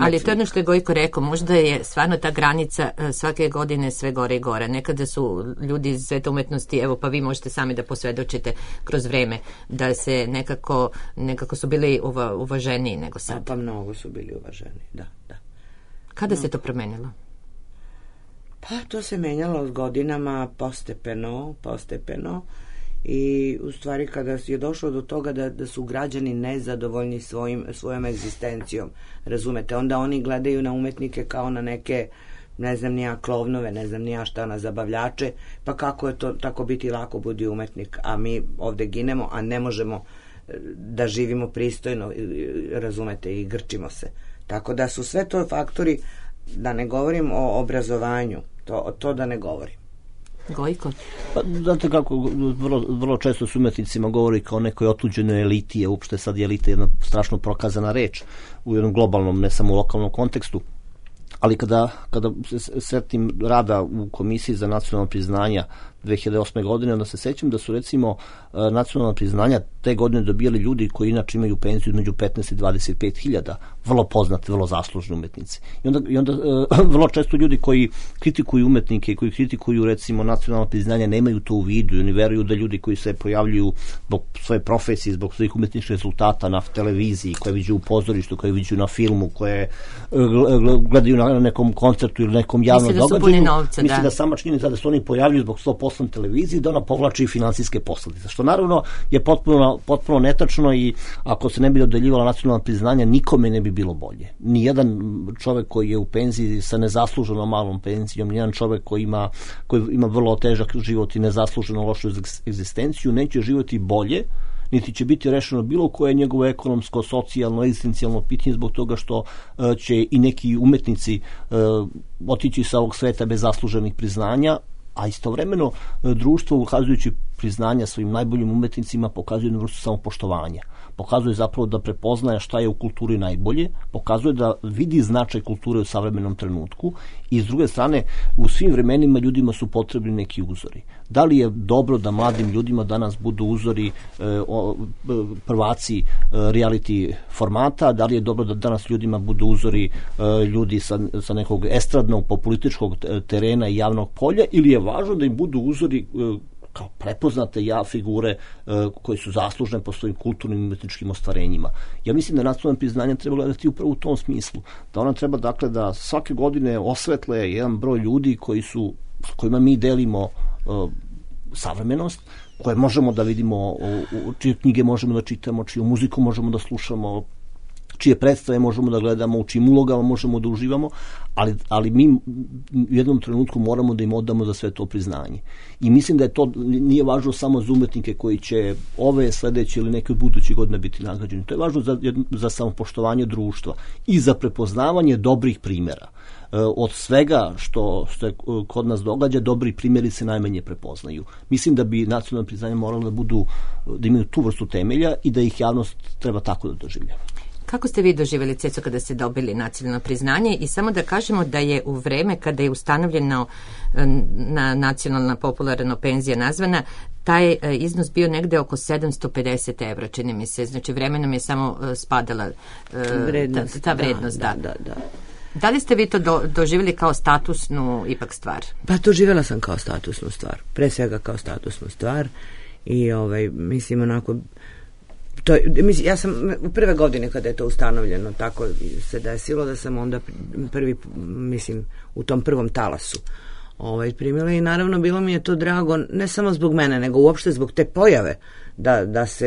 Ali to je ono što je Gojko rekao, možda je stvarno ta granica svake godine sve gore i gore. Nekada su ljudi iz sveta umetnosti, evo pa vi možete sami da posvedočite kroz vreme, da se nekako su bili uvaženiji nego sad. Pa mnogo su bili uvaženi, da. Kada se to promenilo? Pa to se menjalo s godinama postepeno. I u stvari kada je došlo do toga da su građani nezadovoljni svojom egzistencijom, razumete, onda oni gledaju na umetnike kao na neke, ne znam nija, klovnove, ne znam nija šta, na zabavljače, pa kako je to tako biti lako budi umetnik, a mi ovde ginemo, a ne možemo da živimo pristojno, razumete, i grčimo se. Tako da su sve to faktori, da ne govorim o obrazovanju, to da ne govorim. Gojko? Pa, znate kako, vrlo često s umetnicima govori kao nekoj otuđenoj eliti, je uopšte sad je elita jedna strašno prokazana reč u jednom globalnom, ne samo lokalnom kontekstu, ali kada se setim rada u Komisiji za nacionalna priznanja 2008. godine, onda se sećam da su recimo nacionalna priznanja te godine dobijali ljudi koji inače imaju penziju između 15 i 25 hiljada. vrlo poznati, vrlo zaslužni umetnici. I onda vrlo često ljudi koji kritikuju umetnike i koji kritikuju recimo nacionalno priznanje nemaju to u vidu i oni veruju da ljudi koji se pojavljuju zbog svoje profesije, zbog svojih umetničkih rezultata na televiziji, koje viđu u pozorištu, koje viđu na filmu, koje gledaju na nekom koncertu ili nekom javnom događaju, misli da sama činjenica da se oni pojavljuju zbog 100% televiziji, da ona povlači finansijske posledice, što naravno je potpuno netačno i ako se ne bi dodeljivala nacionalna priznanja, nikome ne bi bilo bolje. Nijedan čovek koji je u penziji sa nezasluženo malom penzijom, nijedan čovek koji ima vrlo težak život i nezasluženo lošu egzistenciju, neće živjeti bolje, niti će biti rešeno bilo koje njegovo ekonomsko, socijalno, egzistencijalno pitanje zbog toga što će i neki umetnici otići sa ovog sveta bez zasluženih priznanja, a istovremeno društvo ukazujući priznanja svojim najboljim umetnicima pokazuje jednu vrstu samopoštovanja. Pokazuje zapravo da prepoznaje šta je u kulturi najbolje, pokazuje da vidi značaj kulture u savremenom trenutku i s druge strane u svim vremenima ljudima su potrebni neki uzori. Da li je dobro da mladim ljudima danas budu uzori prvaci reality formata, da li je dobro da danas ljudima budu uzori ljudi sa nekog estradnog političkog terena i javnog polja, ili je važno da im budu uzori kao prepoznate figure koje su zaslužne po svojim kulturnim i umetničkim ostvarenjima. Ja mislim da nacionalno priznanje treba gledati upravo u tom smislu. Da ona treba dakle da svake godine osvetle jedan broj ljudi s kojima mi delimo savremenost, koje možemo da vidimo, čije knjige možemo da čitamo, čiju muziku možemo da slušamo, čije predstave možemo da gledamo, u čijim ulogama možemo da uživamo, ali mi u jednom trenutku moramo da im odamo za sve to priznanje. I mislim da je to nije važno samo za umetnike koji će ove, sledeće ili neke od budućih godina biti nagrađeni. To je važno za samopoštovanje društva i za prepoznavanje dobrih primjera. Od svega što se kod nas događa, dobri primjeri se najmanje prepoznaju. Mislim da bi nacionalno priznanje moralo da imaju tu vrstu temelja i da ih javnost treba tako da doživlja. Kako ste vi doživjeli, Ceco, kada ste dobili nacionalno priznanje? I samo da kažemo da je u vreme kada je ustanovljeno nacionalna popularna penzija nazvana, taj iznos bio negde oko 750 evra, čini mi se. Znači, vremenom je samo spadala ta vrednost. Da. Da li ste vi to doživjeli kao statusnu ipak stvar? Pa doživjela sam kao statusnu stvar. Pre svega kao statusnu stvar. I mislim onako... ja sam u prve godine kada je to ustanovljeno tako se desilo da sam onda u tom prvom talasu primila i naravno bilo mi je to drago ne samo zbog mene nego uopšte zbog te pojave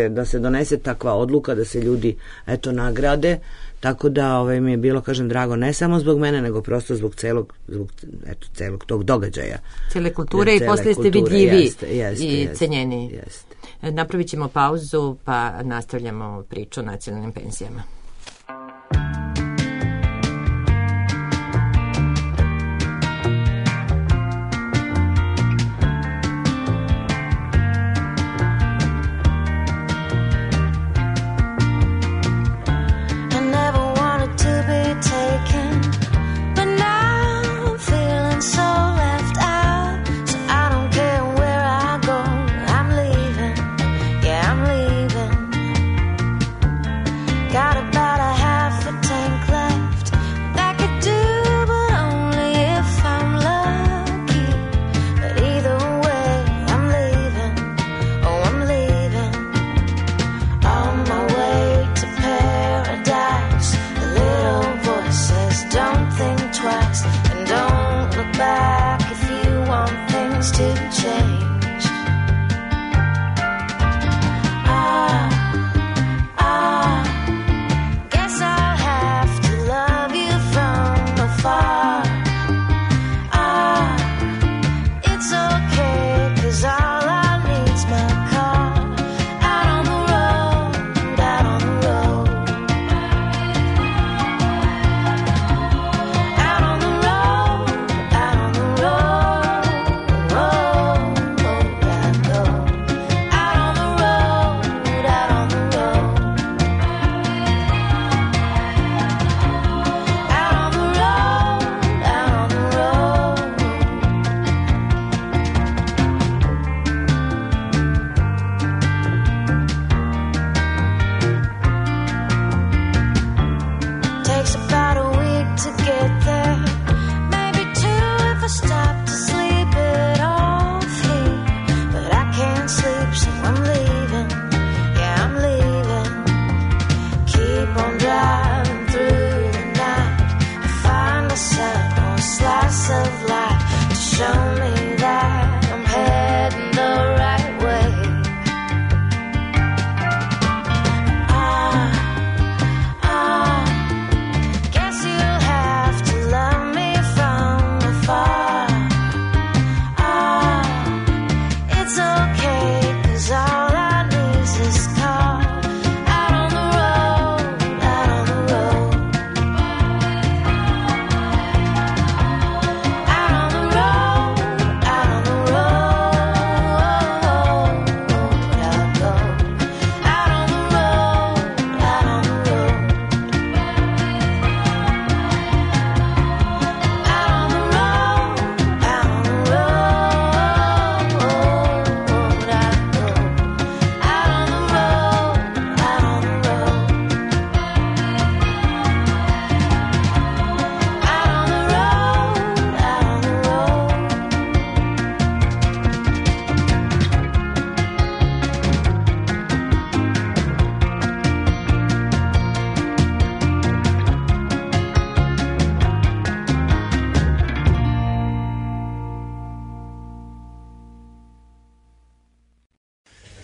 da se donese takva odluka da se ljudi nagrade, tako da mi je bilo, kažem, drago ne samo zbog mene nego prosto zbog celog tog događaja, cele kulture i posle ste vidljivi i cenjeni. Napravit ćemo pauzu pa nastavljamo priču o nacionalnim penzijama. Got a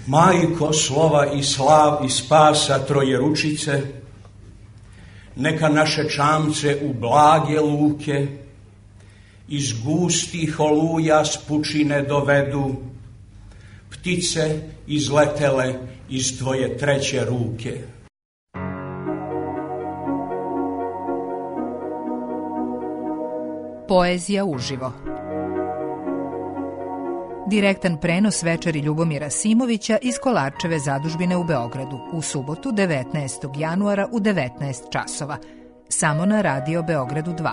Majko slova i slav i spasa Trojeručice, neka naše čamce u blage luke iz gustih oluja s pučine dovedu ptice izletele iz tvoje treće ruke. Poezija uživo. Direktan prenos večeri Ljubomira Simovića iz Kolarčeve zadužbine u Beogradu u subotu 19. januara u 19 časova. Samo na Radio Beogradu 2.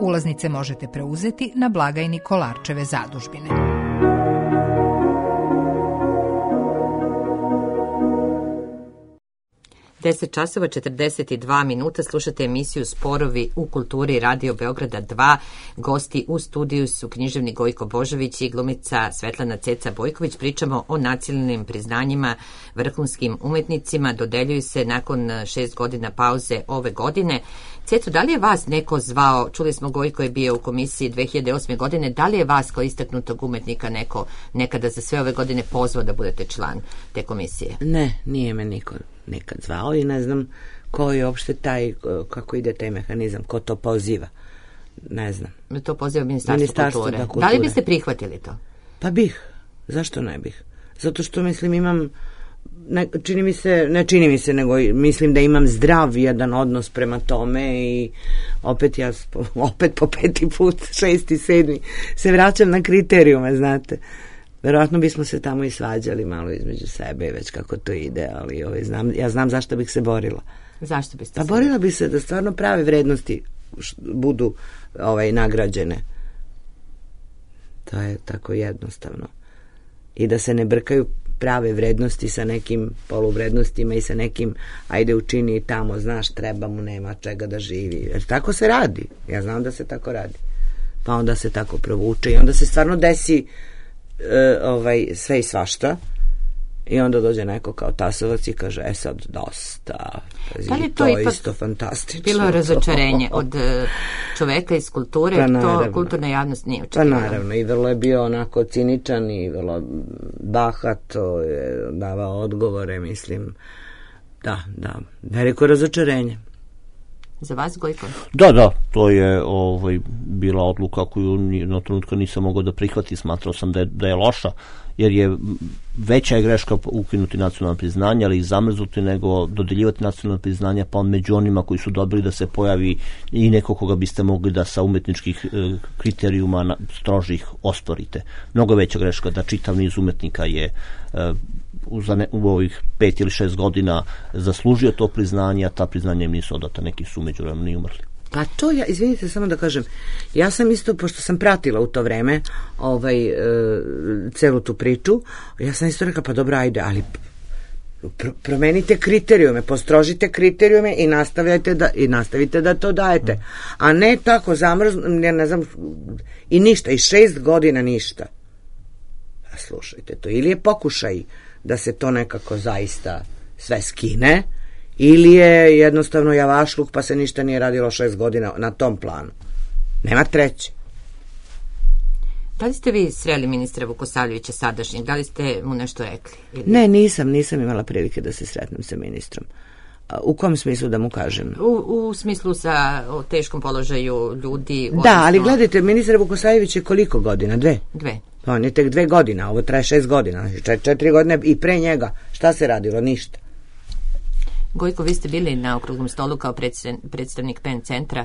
Ulaznice možete preuzeti na blagajni Kolarčeve zadužbine. Deset časova 42 minuta, slušate emisiju Sporovi u kulturi Radio Beograda 2. Gosti u studiju su književnik Gojko Božović i glumica Svetlana Ceca Bojković. Pričamo o nacionalnim priznanjima vrhunskim umetnicima. Dodeljuju se nakon 6 godina pauze ove godine. Ceto, da li je vas neko zvao, čuli smo Gojko je bio u komisiji 2008. godine, da li je vas kao istaknutog umetnika neko nekada za sve ove godine pozvao da budete član te komisije? Ne, nije me niko nekad zvao i ne znam ko je uopšte taj, kako ide taj mehanizam, ko to poziva. Ne znam. To poziva Ministarstvo kulture. Da li biste prihvatili to? Pa bih. Zašto ne bih? Zato što mislim imam, nego mislim da imam zdrav jedan odnos prema tome i opet po 5. put, 6. 7. se vraćam na kriterijume, znate. Verovatno bismo se tamo i svađali malo između sebe, već kako to ide, ali ja znam zašto bih se borila. Zašto biste se? Borila bi se da stvarno prave vrednosti budu nagrađene. To je tako jednostavno. I da se ne brkaju prave vrednosti sa nekim poluvrednostima i sa nekim ajde učini tamo, znaš, treba mu, nema čega da živi. Jer tako se radi. Ja znam da se tako radi. Pa onda se tako provuče i onda se stvarno desi sve i svašta i onda dođe neko kao Tasovac i kaže sad dosta. Da li to ipak isto fantastično? Bilo razočarenje od čoveka iz kulture, pa to kulturna javnost nije očekivala. Pa naravno, i vrlo je bio onako ciničan i vrlo bahato je davao odgovore, mislim. Da, veliko razočarenje. Za vas, Gojko? Da, to je bila odluka koju na trenutka nisam mogao da prihvati, smatrao sam da je loša, jer je veća je greška ukinuti nacionalna priznanja, ali ih zamrznuti, nego dodeljivati nacionalna priznanja, pa među onima koji su dobili da se pojavi i neko koga biste mogli da sa umetničkih kriterijuma strožih osporite. Mnogo veća greška da čitav niz umetnika je u ovih 5 ili 6 godina zaslužio to priznanje, a ta priznanja im nisu odata, neki su međuvremeno i umrli. Pa to izvinite samo da kažem, ja sam isto, pošto sam pratila u to vreme celu tu priču, ja sam isto rekla, pa dobro, ajde, ali promenite kriterijume, postrožite kriterijume i nastavite da to dajete. A ne tako ja ne znam, i ništa, i 6 godina ništa. Slušajte to, ili je pokušaj da se to nekako zaista sve skine, ili je jednostavno javašluk pa se ništa nije radilo 6 godina na tom planu. Nema treće. Da li ste vi sreli ministra Vukosavljevića sadašnjeg? Da li ste mu nešto rekli? Ili? Ne, nisam imala prilike da se sretnem sa ministrom. U kom smislu da mu kažem? U smislu o teškom položaju ljudi. Da, ali gledajte, ministar Vukosavljević je koliko godina? 2? 2. On je tek 2 godina, ovo traje 6 godina, 4 godine i pre njega. Šta se radilo? Ništa. Gojko, vi ste bili na okruglom stolu kao predstavnik PEN centra.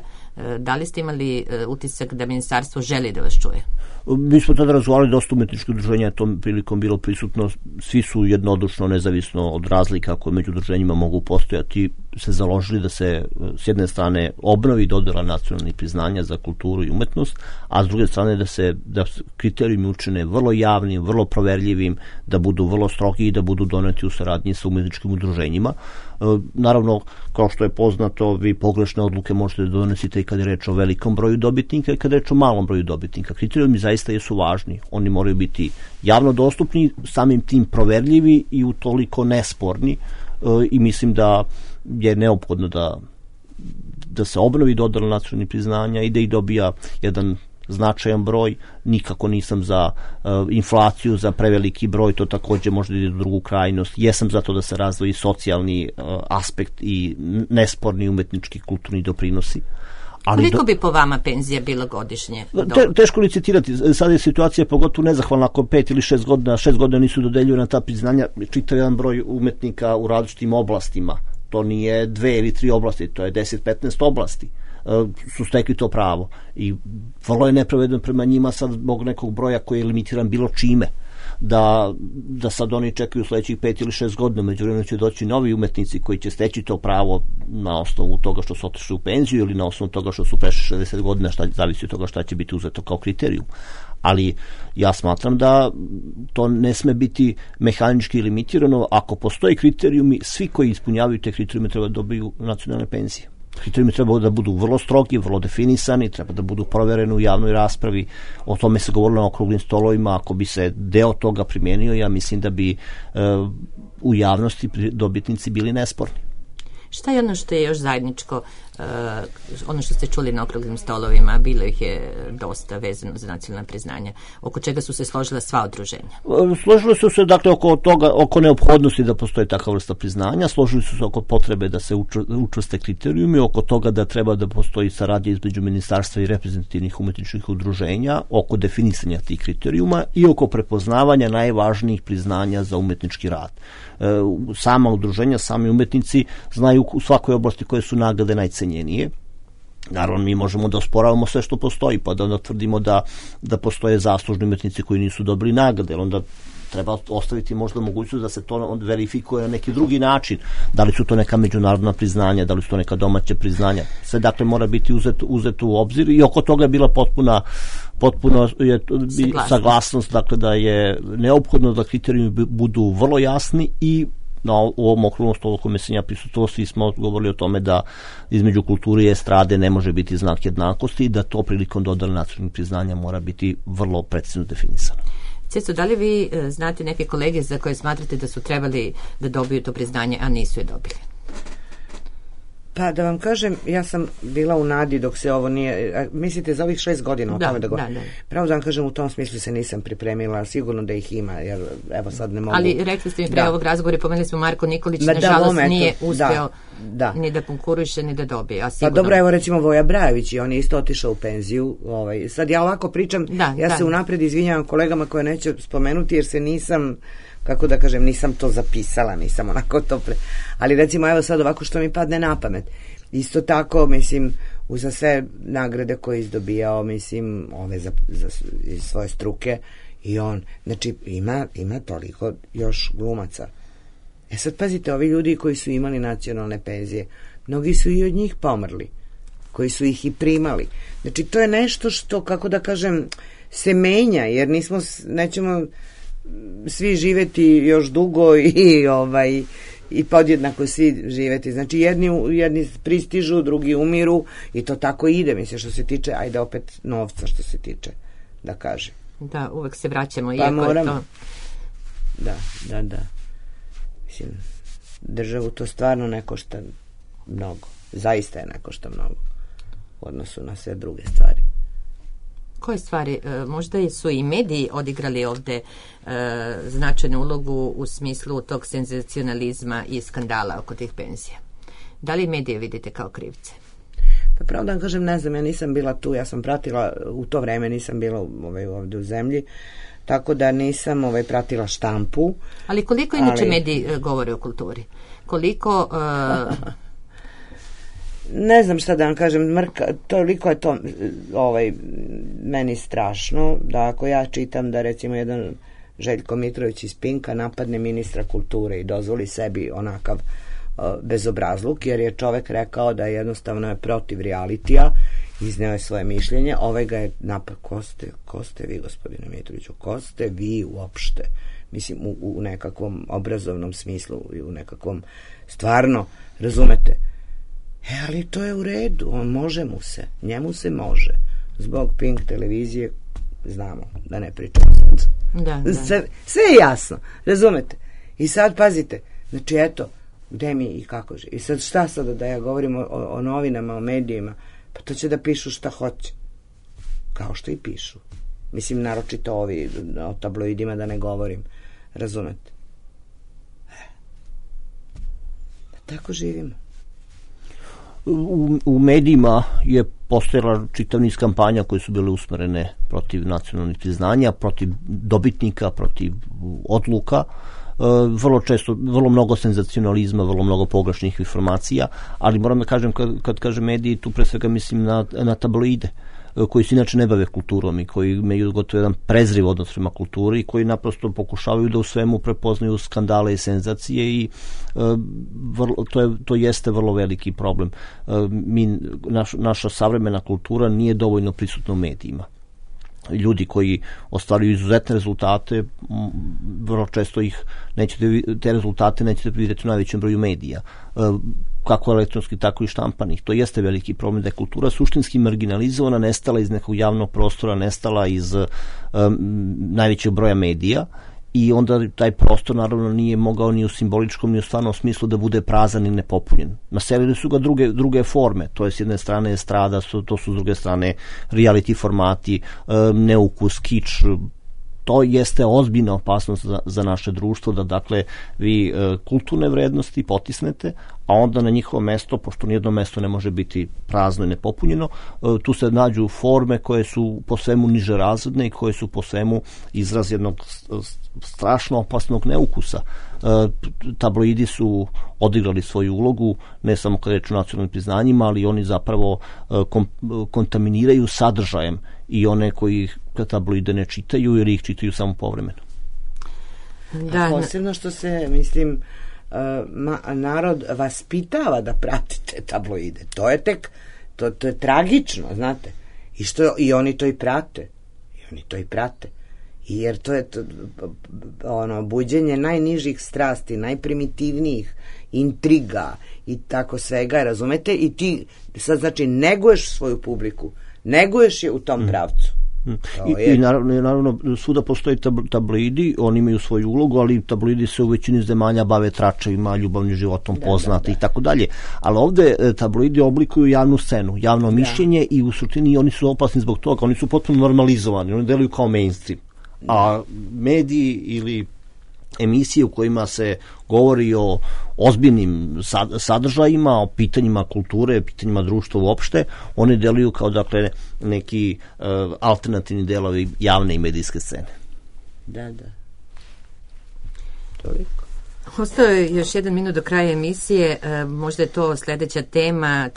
Da li ste imali utisak da ministarstvo želi da vas čuje? Mi smo tada razgovarali, dosta umetničkih udruženja je tom prilikom bilo prisutno, svi su jednodušno, nezavisno od razlika koje među udruženjima mogu postojati, se založili da se s jedne strane obnovi dodela nacionalnih priznanja za kulturu i umetnost, a s druge strane da kriterijumi učine vrlo javnim, vrlo proverljivim, da budu vrlo strogi i da budu doneti u saradnji sa umetničkim udruženjima. Naravno, kao što je poznato, vi pogrešne odluke možete da donesite i kada je reč o velikom broju dobitnika i kada je reč o malom broju dobitnika. Kriterijumi zaista jesu važni. Oni moraju biti javno dostupni, samim tim proverljivi i utoliko nesporni i mislim da je neophodno da se obnovi dodela nacionalnih priznanja i da ih dobija jedan značajan broj, nikako nisam za inflaciju, za preveliki broj, to takođe može da ide u drugu krajnost. Jesam za to da se razvoji socijalni aspekt i nesporni umetnički kulturni doprinosi. Koliko bi po vama penzija bila godišnje? Teško licitirati. Sada je situacija pogotovo nezahvalna ako 5 ili 6 godina, 6 godina nisu dodeljivana ta priznanja, čitav jedan broj umetnika u različitim oblastima. To nije 2 ili 3 oblasti, to je 10-15 oblasti su stekli to pravo. I vrlo je nepravedno prema njima sad zbog nekog broja koji je limitiran bilo čime. Da sad oni čekaju sledećih 5 ili 6 godina, međuvremenu će doći novi umetnici koji će steći to pravo na osnovu toga što su otišli u penziju ili na osnovu toga što su prešli 60 godina, zavisi od toga šta će biti uzeto kao kriterijum. Ali ja smatram da to ne sme biti mehanički limitirano. Ako postoji kriterijumi, svi koji ispunjavaju te kriterijume treba da dobiju nacionalne penzije. Kriterijumi treba da budu vrlo strogi, vrlo definisani, treba da budu provereni u javnoj raspravi. O tome se govorilo na okruglim stolovima. Ako bi se deo toga primenio, ja mislim da bi u javnosti dobitnici bili nesporni. Šta je ono što je još zajedničko, ono što ste čuli na okruglim stolovima, bilo ih je dosta vezano za nacionalna priznanja, oko čega su se složila sva udruženja? Složili su se dakle oko toga, oko neophodnosti da postoji takva vrsta priznanja, složili su se oko potrebe da se učvrste kriterijumi, oko toga da treba da postoji saradnja između ministarstva i reprezentativnih umetničkih udruženja, oko definisanja tih kriterijuma i oko prepoznavanja najvažnijih priznanja za umetnički rad. Sama udruženja, sami umetnici znaju u svakoj oblasti koje su nagrade najcenjenije. Naravno, mi možemo da osporavamo sve što postoji, pa da onda tvrdimo da postoje zaslužni umetnici koji nisu dobili nagrade, onda treba ostaviti možda mogućnost da se to verifikuje na neki drugi način. Da li su to neka međunarodna priznanja, da li su to neka domaća priznanja. Sve dakle mora biti uzeto u obzir i oko toga je bila potpuno je saglasnost, dakle da je neophodno da kriterijumi budu vrlo jasni i u ovom okruglom stolu kome sam ja prisustvovao, svi smo govorili o tome da između kulture i estrade ne može biti znak jednakosti i da to prilikom dodele nacionalnih priznanja mora biti vrlo precizno definisano. Cesto, da li vi znate neke kolege za koje smatrate da su trebali da dobiju to priznanje, a nisu je dobili? Pa da vam kažem, ja sam bila u nadi dok se ovo nije, mislite za ovih 6 godina o tome da govorim. Pravo da vam kažem, u tom smislu se nisam pripremila, sigurno da ih ima, jer evo sad ne mogu. Ali rekli ste mi pre ovog razgovora, pomenuli smo Marko Nikolić, nažalost nije uspeo ni da konkuriše, ni da dobije. Pa dobro, evo recimo Voja Brajević, i on je isto otišao u penziju. Sad ja ovako pričam, se unapred izvinjavam kolegama koje neću spomenuti, jer se nisam, kako da kažem, nisam to zapisala, nisam onako to ali recimo evo sad ovako što mi padne na pamet. Isto tako, mislim, uza sve nagrade koje je izdobijao, mislim, ove za iz svoje struke, i on, znači, ima toliko još glumaca. Sad pazite, ovi ljudi koji su imali nacionalne penzije, mnogi su i od njih pomrli, koji su ih i primali. Znači, to je nešto što, kako da kažem, se menja, jer nećemo svi živeti još dugo i podjednako svi živeti. Znači, jedni pristižu, drugi umiru i to tako ide, mislim, što se tiče, ajde opet novca što se tiče, da kaže. Da, uvek se vraćamo, pa iako moram, je to... Da. Mislim, državu to stvarno ne košta mnogo. Zaista je ne košta mnogo u odnosu na sve druge stvari. Koje stvari? Možda su i mediji odigrali ovde značajnu ulogu u smislu tog senzacionalizma i skandala oko tih penzija. Da li medije vidite kao krivce? Pa pravo da vam kažem, ne znam, ja nisam bila tu, ja sam pratila, u to vreme nisam bila ovde u zemlji, tako da nisam pratila štampu. Ali koliko inače mediji govore o kulturi? Koliko... Ne znam šta da vam kažem, toliko je to meni strašno, da ako ja čitam da recimo jedan Željko Mitrović iz Pinka napadne ministra kulture i dozvoli sebi onakav bezobrazluk, jer je čovek rekao da jednostavno je protiv realitija, izneo je svoje mišljenje, ga je napad. Ko ste vi, gospodine Mitroviću, ko ste vi uopšte? Mislim, u nekakvom obrazovnom smislu i u nekakvom, stvarno, razumete? Ali to je u redu, njemu se može. Zbog Pink televizije, znamo, da ne pričamo sad. Da. Sve je jasno, razumete? I sad pazite, znači eto, gde mi i kako živi. I sad šta sada da ja govorim o novinama, o medijima, pa to će da pišu šta hoće. kao što i pišu. Mislim, naročito ovi, o tabloidima da ne govorim, razumete? Tako živimo. U medijima je postojala čitav niz kampanja koje su bile usmerene protiv nacionalnih priznanja, protiv dobitnika, protiv odluka, vrlo često, vrlo mnogo senzacionalizma, vrlo mnogo pogrešnih informacija, ali moram da kažem, kad kažem mediji, tu pre svega mislim na tabloide, koji se inače ne bave kulturom i koji imaju gotovo jedan prezriv odnos prema kulturi i koji naprosto pokušavaju da u svemu prepoznaju skandale i senzacije i to jeste vrlo veliki problem. Naša savremena kultura nije dovoljno prisutna u medijima. Ljudi koji ostvaruju izuzetne rezultate, vrlo često te rezultate nećete vidjeti u najvećem broju medija, kako elektronski, tako i štampanih. To jeste veliki problem, da je kultura suštinski marginalizovana, nestala iz nekog javnog prostora, nestala iz najvećeg broja medija, i onda taj prostor naravno nije mogao ni u simboličkom ni u stvarnom smislu da bude prazan i nepopunjen. Naselili su ga druge forme, to je s jedne strane estrada, to su s druge strane reality formati, neukus, kič. To jeste ozbiljna opasnost za naše društvo, da dakle vi kulturne vrednosti potisnete, a onda na njihovo mesto, pošto nijedno mesto ne može biti prazno i nepopunjeno, tu se nađu forme koje su po svemu niže razredne i koje su po svemu izraz jednog strašno opasnog neukusa. Tabloidi su odigrali svoju ulogu, ne samo kada je reč o nacionalnim priznanjima, ali oni zapravo kontaminiraju sadržajem i one koji tabloide ne čitaju ili ih čitaju samo povremeno. Da, posebno što se, mislim, narod vaspitava da pratite tabloide. To je tek, to je tragično, znate. I oni to i prate. Jer to je buđenje najnižih strasti, najprimitivnijih intriga i tako svega, razumete? I ti sad, znači, neguješ svoju publiku, neguješ je u tom pravcu. I naravno svuda postoji tabloidi, oni imaju svoju ulogu, ali tabloidi se u većini zemalja bave tračevima, ljubavnim životom, poznati i tako dalje. Ali ovde tabloidi oblikuju javnu scenu, javno mišljenje i u suštini oni su opasni zbog toga, oni su potpuno normalizovani, oni deluju kao mainstream. A mediji ili emisije u kojima se govori o ozbiljnim sadržajima, o pitanjima kulture, pitanjima društva uopšte, one deluju kao, dakle, neki alternativni delovi javne i medijske scene. Da. Toliko. Ostao je još 1 minut do kraja emisije, možda je to sledeća tema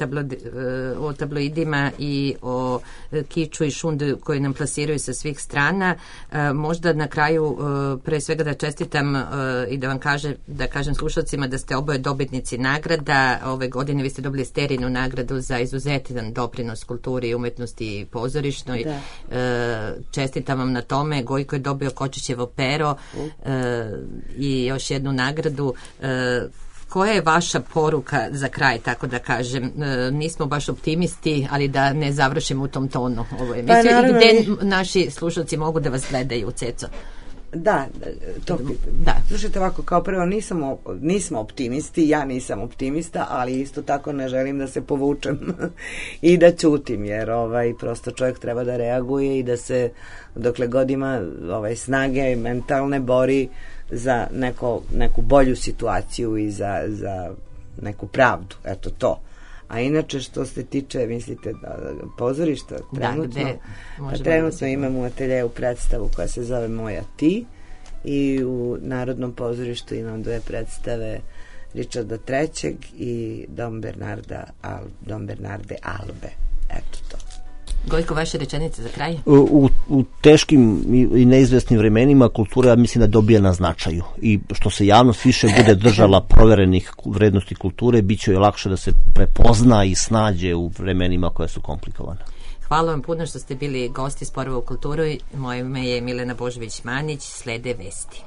o tabloidima i o kiču i šundu koje nam plasiraju sa svih strana. Možda na kraju pre svega da čestitam i da vam kažem slušalcima da ste oboje dobitnici nagrada. Ove godine vi ste dobili Sterinu nagradu za izuzetan doprinos kulturi i umetnosti i pozorišnoj. Čestitam vam na tome. Gojko je dobio Kočićevo pero i još jednu nagradu. Koja je vaša poruka za kraj, tako da kažem? Nismo baš optimisti, ali da ne završimo u tom tonu ovo emisiju. I gde naši slušalci mogu da vas gledaju, Ceco? Da. Slušajte, ovako, kao prvo nismo optimisti, ja nisam optimista, ali isto tako ne želim da se povučem i da ćutim, jer prosto čovjek treba da reaguje i da se dokle god ima snage mentalne bori za neku bolju situaciju i za neku pravdu, eto to. A inače, što se tiče, mislite, pozorišta, trenutno imamo u ateljevu predstavu koja se zove Moja ti, i u Narodnom pozorištu imam 2 predstave Richarda III i Dom Bernarde Albe. Eto to. Gojko, vaše rečenice za kraj? U teškim i neizvesnim vremenima kultura, mislim, da dobija na značaju, i što se javnost više bude držala proverenih vrednosti kulture, bit će joj lakše da se prepozna i snađe u vremenima koja su komplikovana. Hvala vam puno što ste bili gosti Sporova u kulturi. Moje ime je Milena Božović-Manić. Slede vesti.